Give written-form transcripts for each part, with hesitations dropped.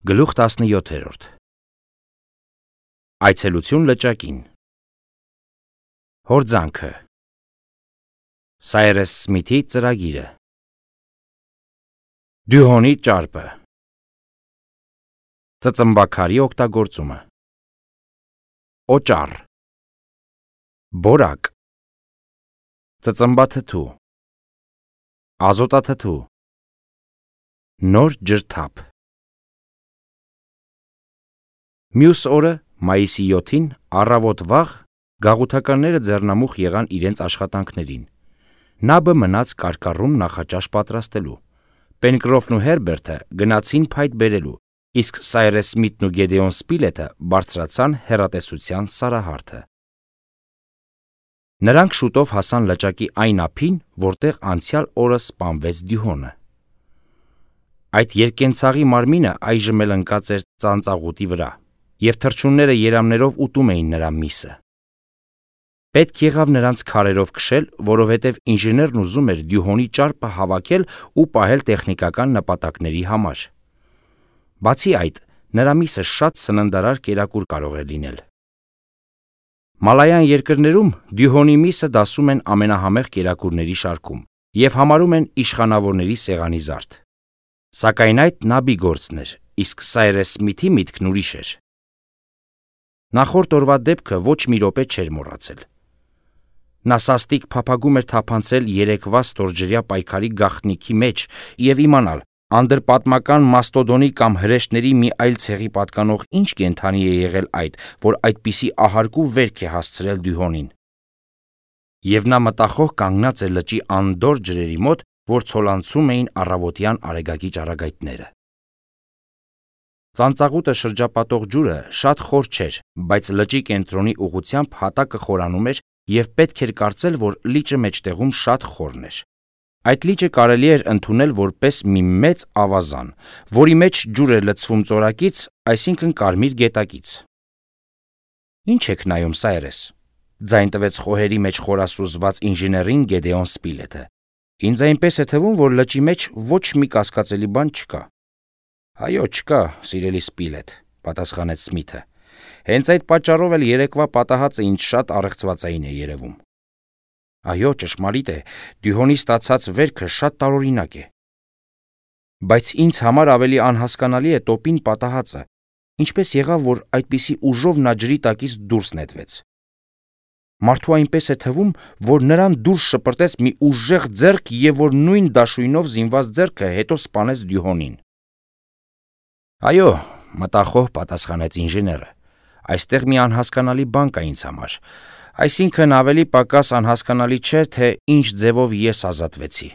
Գլուխ 17 Այցելություն լճակին Հորձանքը Սայրես Սմիթի ծրագիրը Դյուհոնի ճարպը Ծծմբաքարի օգտագործումը Օճառ Բորակ Ծծմբաթթու Ազոտաթթու Նոր ջրթափ Մյուս օրը, մայիսի 7-ին, առավոտ վաղ, գաղութականները ձեռնամուխ եղան իրենց աշխատանքներին։ Նաբը մնաց կարկառում նախաճաշ պատրաստելու։ Պենկրոֆն ու Հերբերտը գնացին փայտ բերելու, իսկ Սայրես Սմիթն ու Գեդեոն Սպիլեթը բարձրացան հեռատեսության սարահարթը։ Նրանք շուտով հասան լճակի այն ափին, որտեղ անցյալ օրը սպանվեց Դյուհոնը։ Այդ երկկենցաղի մարմինը այժմ էլ ընկած էր ծանծաղուտի վրա, և թռչունները երամներով ուտում էին նրա միսը։ Պետք եղավ նրանց քարերով քշել, որովհետև ինժեներն ուզում էր Դյուհոնի ճարպը հավաքել ու պահել տեխնիկական նպատակների համար։ Բացի այդ, նրա միսը շատ սննդարար կերակուր կարող է լինել։ Մալայան երկրներում Դյուհոնի միսը դասում են ամենահամեղ կերակուրների շարքում և համարում են իշխանավորների սեղանի զարդ։ Սակայն այդ Նաբի գործն էր, իսկ Սայրես Սմիթի միտքն ուրիշ էր։ Նախորդ օրվա դեպքը ոչ մի րոպե չէր մոռացել։ Նա սաստիկ փափագում էր թափանցել երեկվա ստորջրյա պայքարի գաղտնիքի մեջ և իմանալ, անդրպատմական մաստոդոնի կամ հրեշների մի այլ ցեղի պատկանող ինչ կենդանի է եղել այդ, որ այդպիսի ահարկու վերք է հասցրել Դյուհոնին։ Եվ նա մտախոհ կանգնած է լճի անդորր ջրերի մոտ, որ ցոլանցում էին առավոտյան արեգակի ճառագայթները։ Ծանծաղուտը շրջապատող ջուրը շատ խոր չէր, բայց լճի կենտրոնի ուղղությամբ հատակը խորանում էր և պետք էր կարծել, որ լիճը մեջտեղում շատ խորն էր։ Այդ լիճը կարելի էր ընդունել որպես մի մեծ ավազան, որի մեջ ջուր էր լցվում ծորակից, այսինքն կարմիր գետակից։ Ինչ եք նայում, Սայրես, ձայն տվեց խոհերի մեջ խորասուզված ինժեներին Գեդեոն Սպիլեթը։ Ինձ այնպես է թվում, որ լճի մեջ ոչ մի կասկածելի բան չկա։ Այո, չկա, սիրելի Սպիլեթ, պատասխանեց Սմիթը։ Հենց այդ պատճառով էլ երեկվա պատահածը ինձ շատ առեղծվածային է երևում։ Այո, ճշմարիտ է, Դյուհոնի ստացած վերքը շատ տարօրինակ է։ Բայց ինձ համար ավելի անհասկանալի է տոպին պատահածը, ինչպես եղավ, որ այդպիսի ուժով նա ջրի տակից դուրս նետվեց։ Մարդու այնպես է թվում, որ նրան դուրս շպրտեց մի ուժեղ ձեռք և որ նույն դաշույնով զինված ձեռքը հետո սպանեց Դյուհոնին։ Այո, մտախոհ պատասխանեց ինժեները, այստեղ մի անհասկանալի բան կա ինձ համար, այսինքն ավելի պակաս անհասկանալի չէ, թե ինչ ձևով ես ազատվեցի։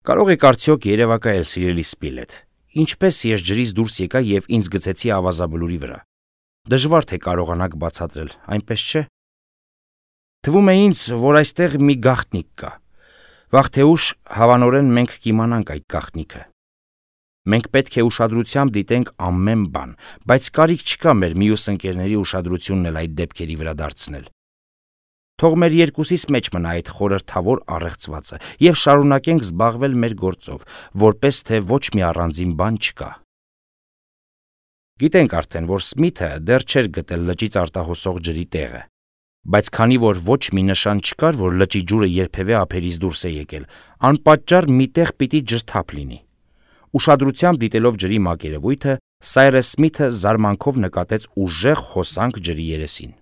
Կարող եք արդյոք երևակայել, սիրելի Սպիլեթ, ինչպես ես ջրից դուրս եկա և ինձ գցեցի ավազաբլուրի վրա։ Դժվար թե կարողանաք բացատրել, այնպես չէ։ Թվում է ինձ, որ այստեղ մի գաղտնիք կա։ Վաղ թե ուշ հավանորեն մենք կիմանանք այդ գաղտնիքը։ Մենք պետք է ուշադրությամբ դիտենք ամեն բան, բայց կարիք չկա մեր մյուս ընկերների ուշադրությունն էլ այդ դեպքերի վրա դարձնել։ Թող մեր երկուսիս մեջ մնա այդ խորհրդավոր առեղծվածը և շարունակենք զբաղվել մեր գործով, որպես թե ոչ մի առանձին բան չկա։ Գիտենք արդեն, որ Սմիթը դեռ չէր գտել լճից արտահոսող ջրի տեղը, բայց քանի որ ոչ մի նշան չկար, որ լճի ջուրը երբևէ ափերից դուրս է եկել, անպատճառ մի տեղ պիտի ջրթափ լինի։ Ուշադրությամբ դիտելով ջրի մակերևույթը, Սայրես Սմիթը զարմանքով նկատեց ուժեղ հոսանք ջրի երեսին։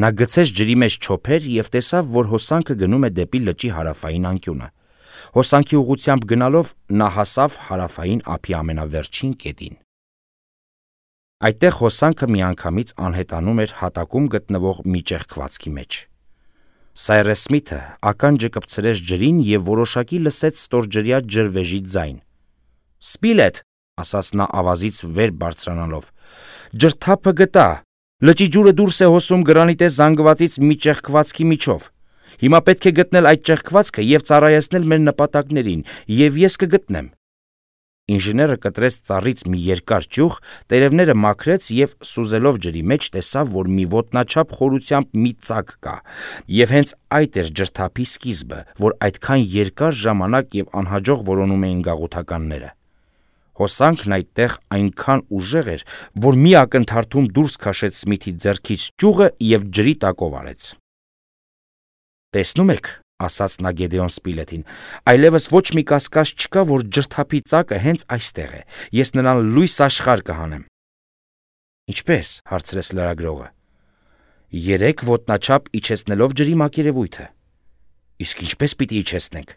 Նա գցեց ջրի մեջ չոփեր և տեսավ, որ հոսանքը գնում է դեպի լճի հարավային անկյունը։ Հոսանքի ուղղությամբ գնալով նա հասավ հարավային ափի ամենավերջին կետին։ Այդտեղ հոսանքը միանգամից անհետանում էր հատակում գտնվող մի ճեղքվածքի մեջ։ Սայրես Սմիթը ականջը կպցրեց ջրին և որոշակի լսեց ստորջրյա ջրվեժի ձայն։ Սպիլեթ, ասաց նա ավազից վեր բարձրանալով, ջրթափը գտա, լճի ջուրը դուրս է հոսում գրանիտե զանգվածից մի ճեղքվածքի միջով։ Հիմա պետք է գտնել այդ ճեղքվածքը և ծառայեցնել մեր նպատակներին, և ես կգտնեմ։ Ինժեները կտրեց ծառից մի երկար ճյուղ, տերևները մաքրեց և սուզելով ջրի մեջ տեսավ, որ մի ոտնաչափ խորությամբ մի ծակ կա, և հենց այդ էր ջրթափի սկիզբը, որ այդքան երկար ժամանակ և անհաջող որոնում էին գաղութականները։ Հոսանքն այդտեղ այնքան ուժեղ էր, որ մի ակնթարթում դուրս քաշեց Սմիթի ձեռքից ճյուղը և ջրի տակով արեց։ «Տեսնում եք», ասաց նա Գեդեոն Սպիլեթին, «այլևս ոչ մի կասկած չկա, որ ջրթափի ծակը հենց այստեղ է։ Ես նրան լույս աշխարհ կհանեմ»։ «Ինչպե՞ս», հարցրեց լրագրողը։ «3 ոտնաչափ իջեցնելով ջրի մակերևույթը»։ «Իսկ ինչպես պիտի իջեցնենք»։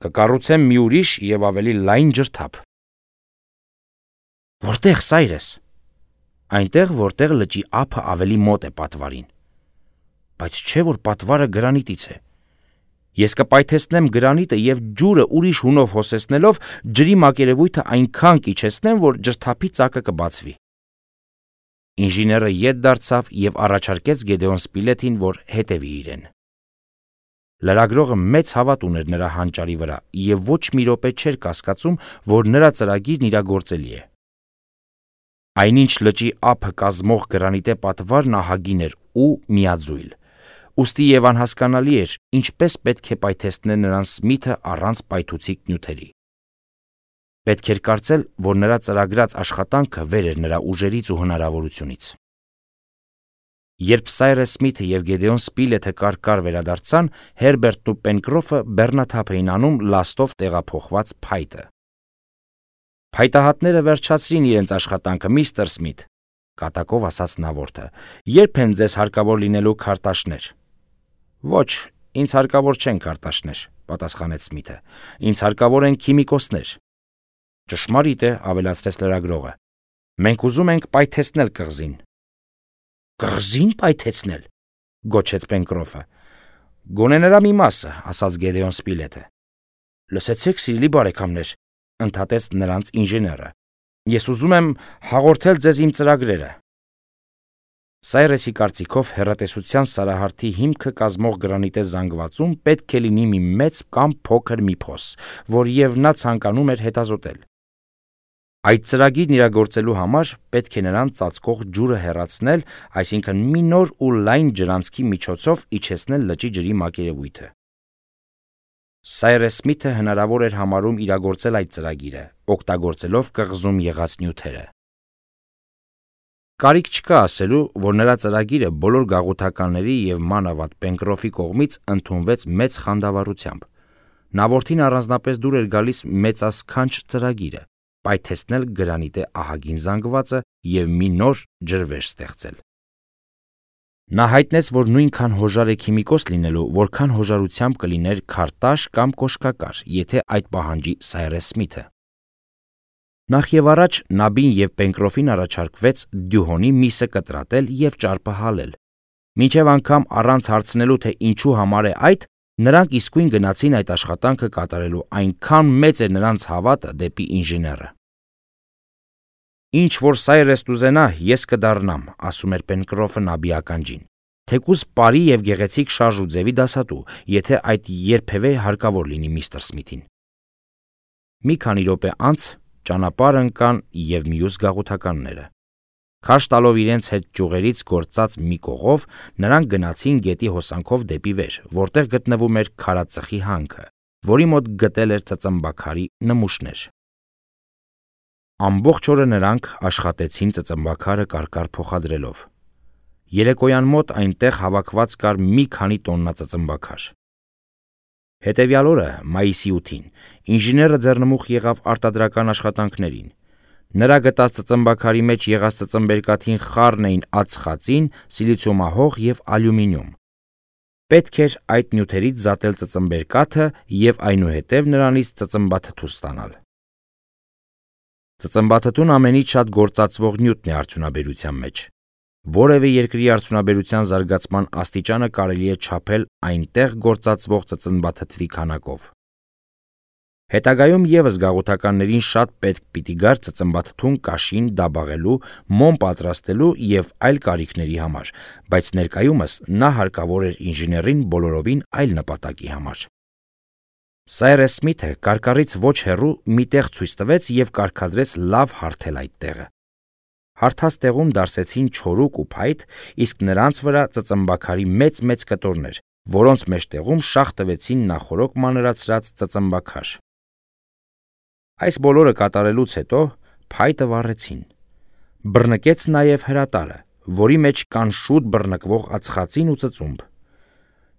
«Կկառուցեմ մի ուրիշ և ավելի լայն ջրթափ»։ «Որտե՞ղ, Սայրես»։ «Այնտեղ, որտեղ լճի ափը ավելի մոտ է պատվարին»։ «Բայց չէ՞ որ պատվարը գրանիտից է»։ «Ես կպայթեցնեմ գրանիտը և ջուրը ուրիշ հունով հոսեցնելով ջրի մակերևույթը այնքան կիջեցնեմ, որ ջրթափի ծակը կբացվի»։ Ինժեները ետ դարձավ և առաջարկեց Գեդեոն Սպիլեթին, որ հետևի իրեն։ Լրագրողը մեծ հավատ ուներ նրա հանճարի վրա և ոչ մի րոպե չէր կասկածում, որ նրա ծրագիրն իրագործելի է։ Այնինչ լճի ափը կազմող գրանիտե պատվարն ահագին էր ու միաձույլ, ուստի և անհասկանալի էր, ինչպես պետք է պայթեցնել նրան Սմիթը առանց պայթուցիկ նյութերի։ Պետք էր կարծել, որ նրա ծրագրած աշխատանքը վեր էր նրա ուժերից ու հնարավորությունից։ Երբ Սայրես Սմիթը և Գեդեոն Սպիլեթը կարկար վերադարձան, Հերբերտն ու Պենկրոֆը բեռնաթափ էին անում լաստով տեղափոխված փայտը։ «Փայտահատները վերջացրին իրենց աշխատանքը, միստր Սմիթ», կատակով ասաց նա որդը։ «Ե՞րբ են ձեզ հարկավոր լինելու քարտաշներ»։ «Ոչ, ինձ հարկավոր չեն քարտաշներ», պատասխանեց Սմիթը։ «Ինձ հարկավոր են քիմիկոսներ»։ «Ճշմարիտ է», ավելացրեց լրագրողը։ «Մենք ուզում ենք պայթեցնել կղզին»։ «Կղզի՞ն պայթեցնել», գոչեց Պենկրոֆը։ «Գոնե նրա մի մասը», ասաց Գեդեոն Սպիլեթը։ «Լսեցեք, սիրելի բարեկամներ», ընդհատեց նրանց ինժեները, «ես ուզում եմ հաղորդել ձեզ իմ ծրագրերը»։ Սայրեսի կարծիքով հեռատեսության սարահարթի հիմքը կազմող գրանիտե զանգվածում պետք է լինի մի մեծ կամ փոքր մի փոս, որ և նա ցանկանում էր հետազոտել։ Այդ ծրագիրն իրագործելու համար պետք է նրան ծածկող ջուրը հեռացնել, այսինքն մի նոր ու լայն ջրանցքի միջոցով իջեցնել լճի ջրի մակերևույթը։ Սայրես Սմիթը հնարավոր էր համարում իրագործել այդ ծրագիրը, օգտագործելով կղզում եղած նյութերը։ Կարիք չկա ասելու, որ նրա ծրագիրը բոլոր գաղութականների և մանավանդ Պենկրոֆի կողմից ընդունվեց մեծ խանդավառությամբ։ Նա որդին առանձնապես դուր էր գալիս մեծասքանչ ծրագիրը՝ պայթեցնել գրանիտե ահագին զանգվածը և մի նոր ջրվեժ ստեղծել։ Նա հայտնեց, որ նույնքան հոժար է քիմիկոս լինելու, որքան հոժարությամբ կլիներ քարտաշ կամ կոշկակար, եթե այդ պահանջի Սայրես Սմիթը։ Նախ և առաջ Նաբին և Պենկրոֆին առաջարկվեց դյուհոնի միսը կտրատել և ճարպը հալել։ Մինչև անգամ առանց հարցնելու, թե ինչու համար է այդ, նրանք իսկույն գնացին այդ աշխատանքը կատարելու, այնքան մեծ էր նրանց հավատը դեպի ինժեները։ «Ինչ որ Սայրես կուզենա, ես կդառնամ», ասում էր Պենկրոֆը Նաբի ականջին, «թեկուզ բարի և գեղեցիկ շարժ ու ձևի դասատու, եթե այդ երբևէ հարկավոր լինի միստր Սմիթին»։ Մի քանի րոպե անց ճանապարհ ընկան և մյուս գաղութականները։ Քարշ տալով իրենց հետ ճյուղերից գործած մի կողով, նրանք գնացին գետի հոսանքով դեպի վեր, որտեղ գտնվում էր քարածխի հանքը, որի մոտ գտել էր ծծմբաքարի նմուշներ։ Ամբողջ օրը նրանք աշխատեցին ծծմբաքարը կարկար փոխադրելով։ Երեկոյան մոտ այնտեղ հավաքված կար մի քանի տոննա ծծմբաքար։ Հետևյալ օրը, մայիսի 8-ին, ինժեները ձեռնմուխ եղավ արտադրական աշխատանքներին։ Նրա գտած ծծմբաքարի մեջ եղած ծծմբերկաթին խառն էին ածխածին, սիլիցիումահող և ալյումինիում։ Պետք էր այդ նյութերից զատել ծծմբերկաթը և այնուհետև նրանից ծծմբաթթու ստանալ։ Ծծմբաթթուն ամենից շատ գործածվող նյութն է արդյունաբերության մեջ։ Որևէ երկրի արդյունաբերության զարգացման աստիճանը կարելի է չափել այնտեղ գործածվող ծծմբաթթվի քանակով։ Հետագայում ևս գաղութականներին շատ պետք պիտի գար ծծմբաթթուն կաշին դաբաղելու, մոմ պատրաստելու և այլ կարիքների համար, բայց ներկայումս նա հարկավոր էր ինժեներին բոլորովին այլ նպատակի համար։ Սայրես Սմիթը կարկառից ոչ հեռու մի տեղ ցույց տվեց և կարգադրեց լավ հարթել այդ տեղը։ Հարթած տեղում դարսեցին չորուկ ու փայտ, իսկ նրանց վրա ծծմբաքարի մեծ կտորներ, որոնց մեջտեղում շաղ տվեցին նախօրոք մանրացրած ծծմբաքար։ Այս բոլորը կատարելուց հետո փայտը վառեցին։ Բռնկեց նաև հրատարը, որի մեջ կան շուտ բռնկվող ածխածին ու ծծումբ։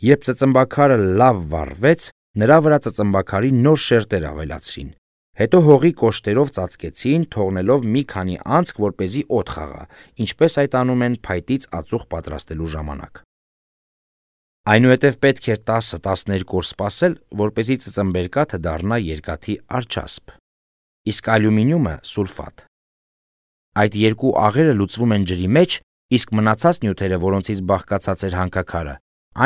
Երբ ծծմբաքարը լավ վառվեց, նրա վրա ծծմբաքարի նոր շերտեր ավելացրին, հետո հողի կոշտերով ծածկեցին, թողնելով մի քանի անցք, որպեսզի օդ խաղա, ինչպես այդ անում են փայտից ածուխ պատրաստելու ժամանակ։ Այնուհետև պետք էր 10-12 օր սպասել, որպեսզի ծծմբերկաթը դառնա երկաթի արջասպ, իսկ ալյումինիումը՝ սուլֆատ։ Այդ երկու աղերը լուծվում են ջրի մեջ, իսկ մնացած նյութերը, որոնցից բաղկացած էր հանքաքարը,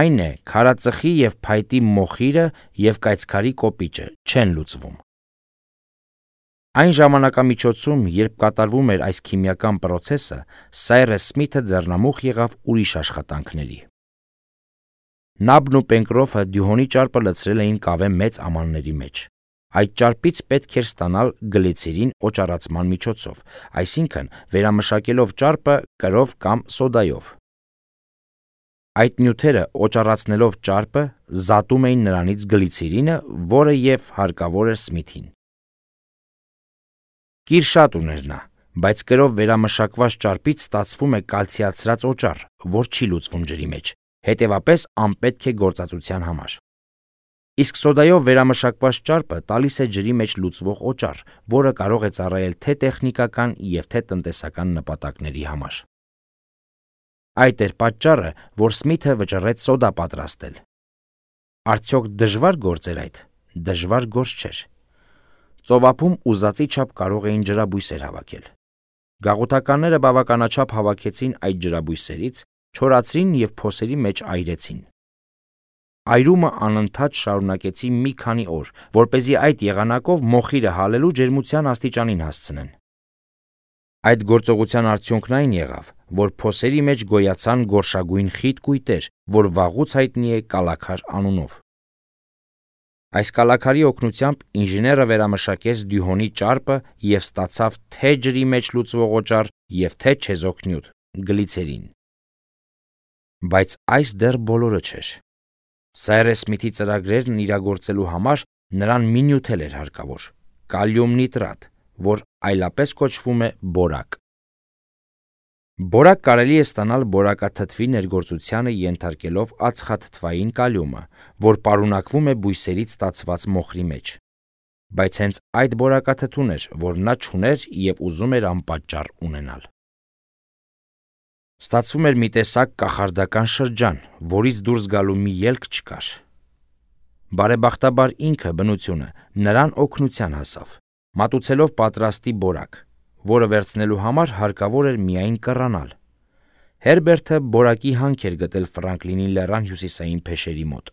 այն է քարածխի և փայտի մոխիրը և կայծքարի կոպիճը, չեն լուծվում։ Այն ժամանակամիջոցում, երբ կատարվում էր այս քիմիական պրոցեսը, Սայրես Սմիթը ձեռնամուխ եղավ ուրիշ աշխատանքների։ Նաբն ու Պենկրոֆը դյուհոնի ճարպը լցրել էին կավե մեծ ամանների մեջ։ Այդ ճարպից պետք էր ստանալ գլիցերին օճառացման միջոցով, այսինքն վերամշակելով ճարպը կրով կամ սոդայով։ Այդ նյութերը օճառացնելով ճարպը զատում էին նրանից գլիցերինը, որը և հարկավոր էր Սմիթին։ Կիր շատ ուներ նա, բայց կրով վերամշակված ճարպից ստացվում է կալցիացրած օճառ, որ չի լուծվում ջրի մեջ, հետևապես անպետք է գործածության համար։ Իսկ սոդայով վերամշակված ճարպը տալիս է ջրի մեջ լուծվող օճառ, որը կարող է ծառայել թե տեխնիկական և թե տնտեսական նպատակների համար։ Այդ էր պատճառը, որ Սմիթը վճռեց սոդա պատրաստել։ Արդյոք դժվար գործ էր այդ։ Դժվար գործ չէր։ Ծովափում ուզածի չափ կարող էին ջրաբույսեր հավաքել։ Գաղութականները բավականաչափ հավաքեցին այդ ջրաբույսերից, չորացրին և փոսերի մեջ այրեցին։ Այրումը անընդհատ շարունակեցի մի քանի օր, որպեսզի այդ եղանակով մոխիրը հալելու ջերմության աստիճանին հասցնեն։ Այդ գործողության արդյունքն այն եղավ, որ փոսերի մեջ գոյացան գորշագույն խիտ կույտեր, որ վաղուց հայտնի է կալաքար անունով։ Այս կալաքարի օգնությամբ ինժեները վերամշակեց դյուհոնի ճարպը և ստացավ թե ջրի մեջ լուծվող օճառ և թե չեզոք նյութ՝ գլիցերին։ Բայց այս դեռ բոլորը չէր։ Սայրես Սմիթի ծրագրերն իրագործելու համար նրան մի նյութ էլ էր հարկավոր՝ կալիում նիտրատ, որ այլապես կոչվում է բորակ։ Բորակ կարելի է ստանալ բորակաթթվի ներգործությանը ենթարկելով ածխաթթվային կալիումը, որ պարունակվում է բույսերից ստացված մոխրի մեջ։ Բայց հենց այդ բորակաթթուն էր, որ նա չուներ և ուզում էր անպատճառ ունենալ։ Ստացվում էր մի տեսակ կախարդական շրջան, որից դուրս գալու մի ելք չկար։ Բարեբախտաբար ինքը, բնությունը, նրան օգնության հասավ, մատուցելով պատրաստի բորակ, որը վերցնելու համար հարկավոր էր միայն կռանալ։ Հերբերտը բորակի հանք էր գտել Ֆրանկլինի լեռան հյուսիսային փեշերի մոտ։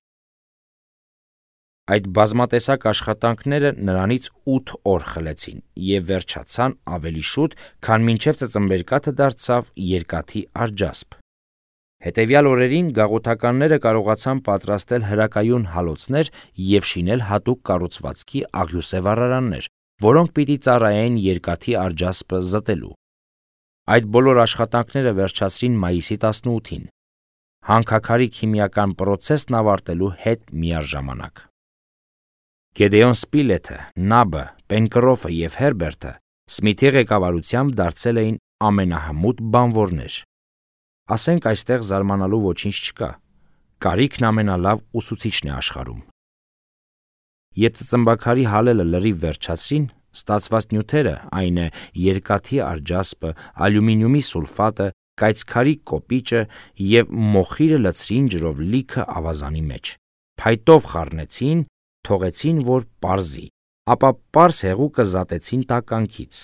Այդ բազմատեսակ աշխատանքները նրանից 8 օր խլեցին և վերջացան ավելի շուտ, քան մինչև ծծմբերկաթը դարձավ երկաթի արջասպ։ Հետևյալ օրերին գաղութականները կարողացան պատրաստել հրակայուն հալոցներ և շինել հատուկ կառուցվածքի աղյուսե վառարաններ, որոնք պիտի ծառայեին երկաթի արջասպը զտելու։ Այդ բոլոր աշխատանքները վերջացրին մայիսի 18-ին, հանքաքարի քիմիական պրոցեսն ավարտելու հետ միաժամանակ։ Գեդեոն Սպիլեթը, Նաբը, Պենկրոֆը և Հերբերտը Սմիթի ղեկավարությամբ դարձել էին ամենահմուտ բանվորներ։ Ասենք այստեղ զարմանալու ոչինչ չկա։ Կարիքն ամենալավ ուսուցիչն է աշխարհում։ Երբ ծծմբաքարի հալելը լրիվ վերջացրին, ստացված նյութերը, այն է երկաթի արջասպը, ալյումինիումի սուլֆատը, կայծքարի կոպիճը և մոխիրը լցրին ջրով լիքը ավազանի մեջ, փայտով խառնեցին, թողեցին, որ պարզի, ապա պարզ հեղուկը զատեցին տականքից։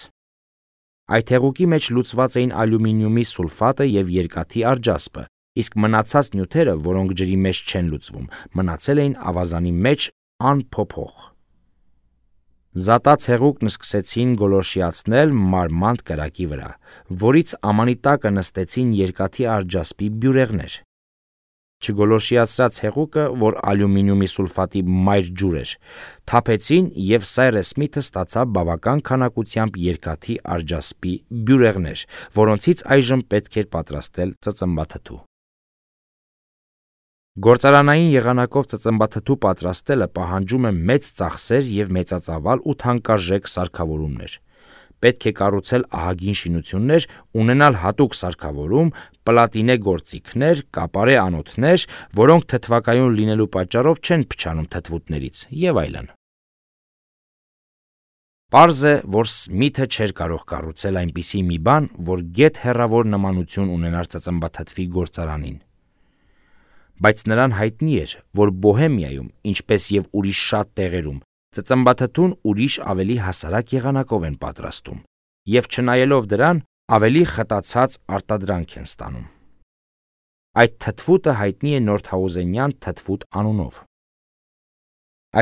Այդ հեղուկի մեջ լուծված էին ալյումինիումի սուլֆատը և երկաթի արջասպը, իսկ մնացած նյութերը, որոնք ջրի մեջ չեն լուծվում, մնացել էին ավազանի մեջ անփոփոխ։ Զատած հեղուկն սկսեցին գոլորշիացնել մարմանդ կրակի վրա, որից ամանի տակը նստեցին երկաթի արջասպի բյուրեղներ։ Չգոլորշիացրած հեղուկը, որ ալյումինիումի սուլֆատի մայր ջուր էր, թափեցին և Սայրես Սմիթը ստացավ բավական քանակությամբ երկաթի արջասպի բյուրեղներ, որոնցից այժմ պետք էր պատրաստել ծծմբաթթու։ Գործարանային եղանակով ծծմբաթթու պատրաստելը պահանջում է մեծ ծախսեր և մեծածավալ ու թանկարժեք սարքավորումներ։ Պետք է կառուցել ահագին շինություններ, ունենալ հատուկ սարքավորում, պլատինե գործիքներ, կապարե անոթներ, որոնք թթվակայուն լինելու պատճառով չեն փչանում թթվուտներից և այլն։ Պարզ է, որ Սմիթը չէր կարող կառուցել այնպիսի մի բան, որ գեթ հեռավոր նմանություն ունենար ծծմբաթթվի գործարանին։ Բայց նրան հայտնի էր, որ Բոհեմիայում, ինչպես և ուրիշ շատ տեղերում, ծծմբաթթուն ուրիշ ավելի հասարակ եղանակով են պատրաստում և չնայելով դրան, ավելի խտացած արտադրանք են ստանում։ Այդ թթվուտը հայտնի է նորդհաուզենյան թթվուտ անունով։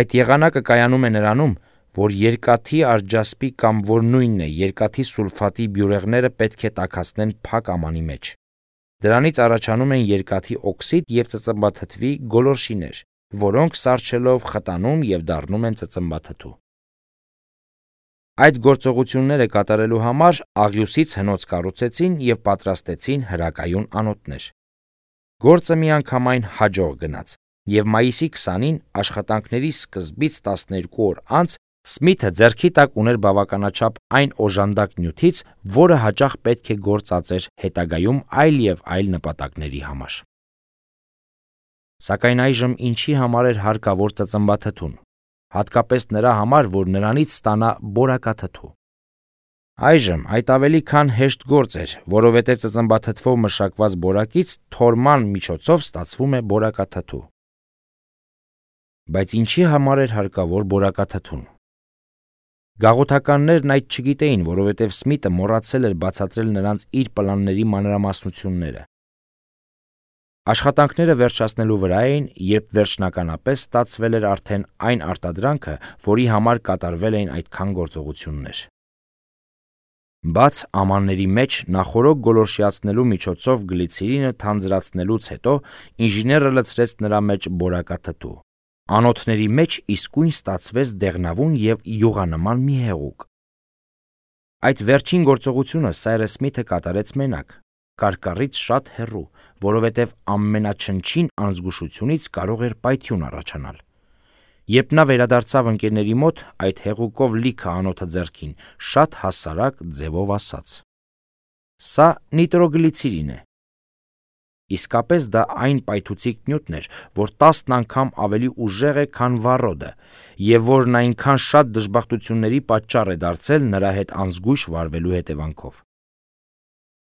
Այդ եղանակը կայանում է նրանում, որ երկաթի արջասպի կամ որ նույնն է երկաթի սուլֆատի բյուրեղները պետք է տաքացնեն փակ ամանի մեջ։ Դրանից առաջանում են երկաթի օքսիդ և ծծմբաթթվի գոլորշիներ, որոնք սառչելով խտանում և դառնում են ծծմբաթթու։ Այդ գործողությունները կատարելու համար աղյուսից հնոց կառուցեցին և պատրաստեցին հրակայուն անոթներ։ Գործը միանգամայն հաջող գնաց, և մայիսի 20-ին աշխատանքների սկզբից 12 օր անց Սմիթը ձեռքի տակ ուներ բավականաչափ այն օժանդակ նյութից, որը հաճախ պետք է գործածեր հետագայում այլ և այլ նպատակների համար։ Սակայն այժմ ինչի համար էր հարկավոր ծծմբաթթուն, հատկապես նրա համար, որ նրանից ստանա բորակաթթու։ Այժմ այդ ավելի քան հեշտ գործ էր, որովհետև ծծմբաթթվով մշակված բորակից թորման միջոցով ստացվում է բորակաթթու։ Բայց ինչի համար էր հարկավոր բորակաթթուն։ Գաղութականներն այդ չգիտեին, որովհետև Սմիթը մոռացել էր բացատրել նրանց իր պլանների մանրամասնությունները։ Աշխատանքները վերջացնելու վրա էին, երբ վերջնականապես ստացվել էր արդեն այն արտադրանքը, որի համար կատարվել էին այդքան գործողություններ։ Բաց ամանների մեջ նախօրոք գոլորշիացնելու միջոցով գլիցերինը թանձրացնելուց հետո ինժեները լցրեց նրա մեջ բորակաթթու։ Անոթների մեջ իսկույն ստացվեց դեղնավուն և յուղանման մի հեղուկ։ Այդ վերջին գործողությունը Սայրս Սմիթը կատարեց մենակ, կարկառից շատ հեռու, որովհետև ամենաչնչին անզգուշությունից կարող էր պայթյուն առաջանալ։ Երբ նա վերադարձավ ընկերների մոտ, այդ հեղուկով լիքը անոթը ձեռքին, շատ հասարակ ձևով ասաց. «Սա նիտրոգլիցերին է»։ Իսկապես դա այն պայթուցիկ նյութն էր, որ 10 անգամ ավելի ուժեղ է, քան վառոդը, և որն այնքան շատ դժբախտությունների պատճառ է դարձել նրա հետ անզգույշ վարվելու հետևանքով։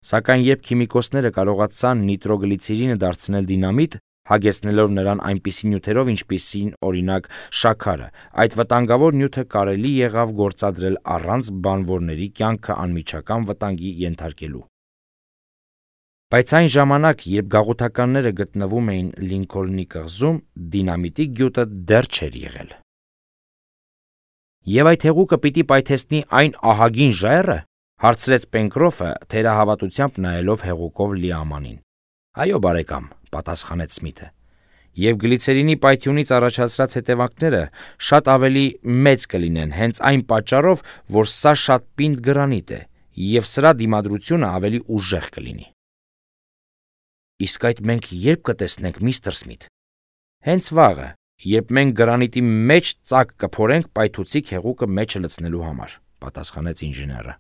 Սակայն երբ քիմիկոսները կարողացան նիտրոգլիցերինը դարձնել դինամիտ, հագեցնելով նրան այնպիսի նյութերով, ինչպիսին օրինակ շաքարը, այդ վտանգավոր նյութը կարելի եղավ գործադրել առանց բանվորների կյանքը անմիջական վտանգի ենթարկելու։ Բայց այն ժամանակ, երբ գաղութականները գտնվում էին Լինքոլնի կղզում, դինամիտի գյուտը դեռ չէր եղել։ «Եվ այդ հեղուկը պիտի պայթեցնի այն ահագին ժայռը», հարցրեց Պենկրոֆը, թերահավատությամբ նայելով հեղուկով լի ամանին։ «Այո, բարեկամ», պատասխանեց Սմիթը, «և գլիցերինի պայթյունից առաջացրած հետևանքները շատ ավելի մեծ կլինեն հենց այն պատճառով, որ սա շատ պինդ գրանիտ է, և սրա դիմադրությունը ավելի ուժեղ կլինի»։ «Իսկ այդ մենք ե՞րբ կտեսնենք, միստր Սմիթ»։ «Հենց վաղը, երբ մենք գրանիտի մեջ ծակ կփորենք պայթուցիկ հեղուկը մեջը լցնելու համար», պատասխանեց ինժեները։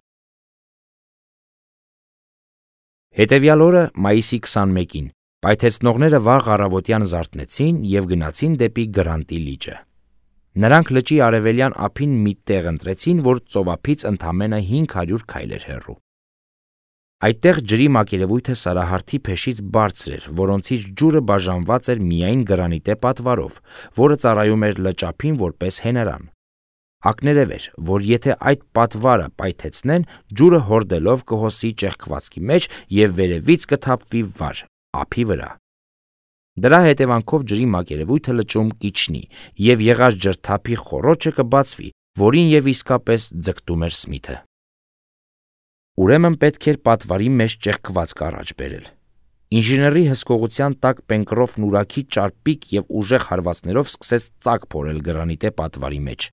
Հետևյալ օրը, մայիսի 21-ին, պայթեցնողները վաղ առավոտյան զարթնեցին և գնացին դեպի Գրանտի լիճը։ Նրանք լճի արևելյան ափին մի տեղ ընտրեցին, որ ծովափից ընդամենը 500 քայլ էր հեռու։ Այդտեղ ջրի մակերևույթը սարահարթի փեշից բարձր էր, որոնցից ջուրը բաժանված էր միայն գրանիտե պատվարով, որը ծառայում էր լճափին որպես հենարան։ Ակներև էր, որ եթե այդ պատվարը պայթեցնեն, ջուրը հորդելով կհոսի ճեղքվածքի մեջ և վերևից կթափվի վար, ափի վրա։ Դրա հետևանքով ջրի մակերևույթը լճում կիջնի, և եղած ջրթափի խոռոչը կբացվի, որին և իսկապես ձգտում էր Սմիթը։ Ուրեմն պետք էր պատվարի մեջ ճեղքվածք առաջ բերել։ Ինժեների հսկողության տակ Պենկրոֆն ուրաքի ճարպիկ և ուժեղ հարվածներով սկսեց ծակ փորել գրանիտե պատվարի մեջ։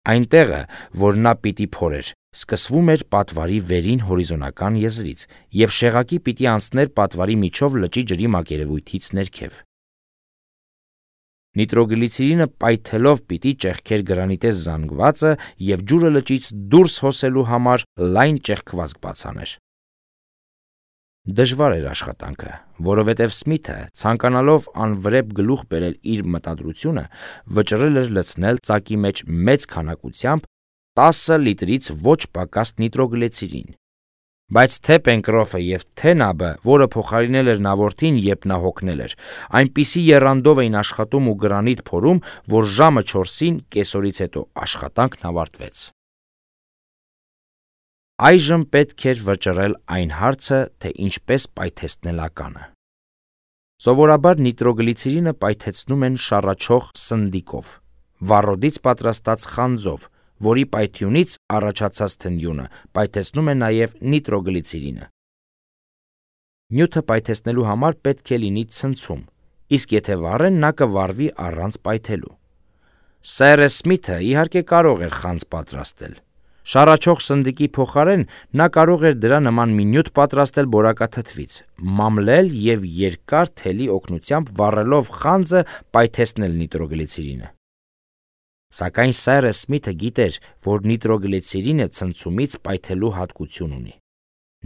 Այն տեղը, որ նա պիտի փորեր, սկսվում էր պատվարի վերին հորիզոնական եզրից, և շեղակի պիտի անցներ պատվարի միջով լճի ջրի մակերևույթից ներքև։ Նիտրոգլիցերինը պայթելով պիտի ճեղքեր գրանիտես զանգվածը և ջուրը լճից դուրս հոսելու համար լայն ճեղքվածք բացաներ։ Դժվար էր աշխատանքը, որովհետև Սմիթը, ցանկանալով անվրեպ գլուխ բերել իր մտադրությունը, վճռել էր լցնել ծակի մեջ մեծ քանակությամբ 10 լիտրից ոչ պակաս նիտրոգլիցերին։ Բայց թե Պենկրոֆը և թե Նաբը, որը փոխարինել էր Նավորդին, երբ նա հոգնել էր, այնպիսի եռանդով էին աշխատում ու գրանիտ փորում, որ ժամը 4-ին կեսօրից հետո աշխատանքն ավարտվեց։ Այժմ պետք էր վճռել այն հարցը, թե ինչպես պայթեցնել ականը։ Սովորաբար նիտրոգլիցերինը պայթեցնում են շառաչող սնդիկով, վառոդից պատրաստած խանձով, որի պայթյունից առաջացած թնդյունը պայթեցնում է նաև նիտրոգլիցերինը։ Նյութը պայթեցնելու համար պետք է լինի ցնցում, իսկ եթե վառեն, նա կվառվի առանց պայթելու։ Սերը Սմիթը իհարկե կարող էր խանձ պատրաստել։ Շառաչող սնդիկի փոխարեն նա կարող էր դրա նման մի նյութ պատրաստել բորակաթթվից, մամլել և երկար թելի օգնությամբ վառելով խանձը պայթեցնել նիտրոգլիցերինը։ Սակայն Սերը Սմիթը գիտեր, որ նիտրոգլիցերինը ցնցումից պայթելու հատկություն ունի։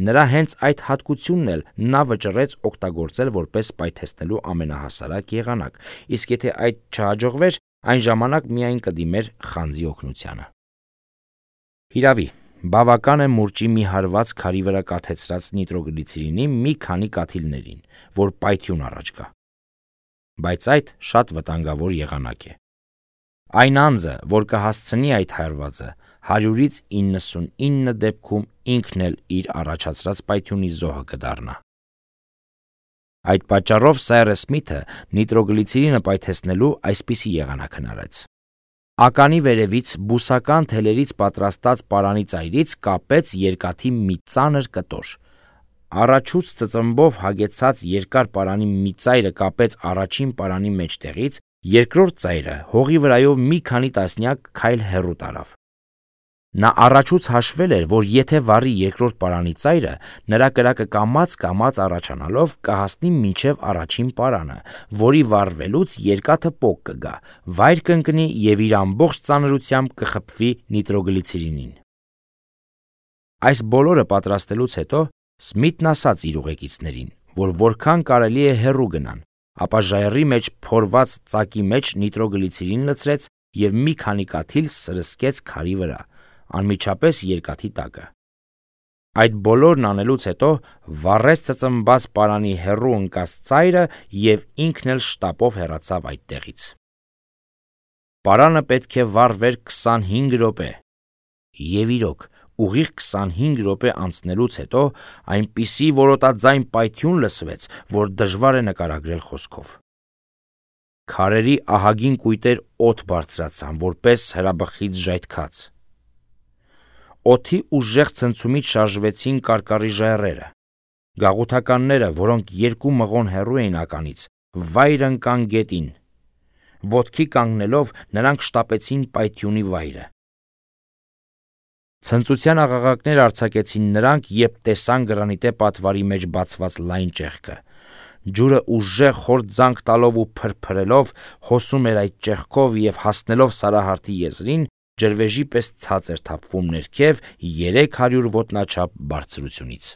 Նրա հենց այդ հատկությունն էլ նա վճռեց օգտագործել որպես պայթեցնելու ամենահասարակ եղանակ, իսկ եթե այդ չհաջողվեր, այն ժամանակ միայն կդիմեր խանձի օգնությանը։ Հիրավի, բավական է մուրճի մի հարված քարի վրա կաթեցրած նիտրոգլիցերինի մի քանի կաթիլներին, որ պայթյուն առաջ գա։ Բայց այդ շատ վտանգավոր եղանակ է։ Այն անձը, որ կհասցնի այդ հարվածը, 100-ից 99 դեպքում ինքն էլ իր առաջացրած պայթյունի զոհը կդառնա։ Այդ պատճառով Սերը Սմիթը նիտրոգլիցերինը պայթեցնելու այսպիսի եղանակ հնարեց։ Ականի վերևից բուսական թելերից պատրաստած պարանի ծայրից կապեց երկաթի մի ծանր կտոր։ Առաջուց ծծմբով հագեցած երկար պարանի մի ծայրը կապեց առաջին պարանի մեջտեղից, երկրորդ ծայրը հողի վրայով մի քանի տասնյակ քայլ հեռու տարավ։ Նա առաջուց հաշվել էր, որ եթե վառի երկրորդ պարանի ծայրը, նրա կրակը կամաց առաջանալով կհասնի մինչև առաջին պարանը, որի վառվելուց երկաթը պոկ կգա, վայր կընկնի և իր ամբողջ ծանրությամբ կխփվի նիտրոգլիցերինին։ Այս բոլորը պատրաստելուց հետո Սմիթն ասաց իր ուղեկիցներին, որ որքան կարելի է հեռու գնան, ապա ժայռի մեջ փորված ծակի մեջ նիտրոգլիցերին լցրեց և մի քանի կաթիլ սրսկեց քարի վրա, անմիջապես երկաթի տակը։ Այդ բոլորն անելուց հետո վառեց ծծմբված պարանի հեռու ընկած ծայրը և ինքն էլ շտապով հեռացավ այդտեղից։ Պարանը պետք է վառվեր 25 րոպե։ Եվ իրոք, ուղիղ 25 րոպե անցնելուց հետո այնպիսի որոտաձայն պայթյուն լսվեց, որ դժվար է նկարագրել խոսքով։ Քարերի ահագին կույտեր օդ բարձրացան, որպես հրաբխից ժայթքած։ Օդի ուժեղ ցնցումից շարժվեցին կարկառի ժայռերը։ Գաղութականները, որոնք 2 մղոն հեռու էին ականից, վայր ընկան գետին։ Ոտքի կանգնելով նրանք շտապեցին պայթյունի վայրը։ Ցնծության աղաղակներ արձակեցին նրանք, երբ տեսան գրանիտե պատվարի մեջ բացված լայն ճեղքը։ Ջուրը ուժեղ խոր ձանք տալով ու փրփրելով հոսում էր այդ ճեղքով և հասնելով Սարահարթի եզրին, ջրվեժի պես ցած էր թափվում ներքև 300 ոտնաչափ բարձրությունից։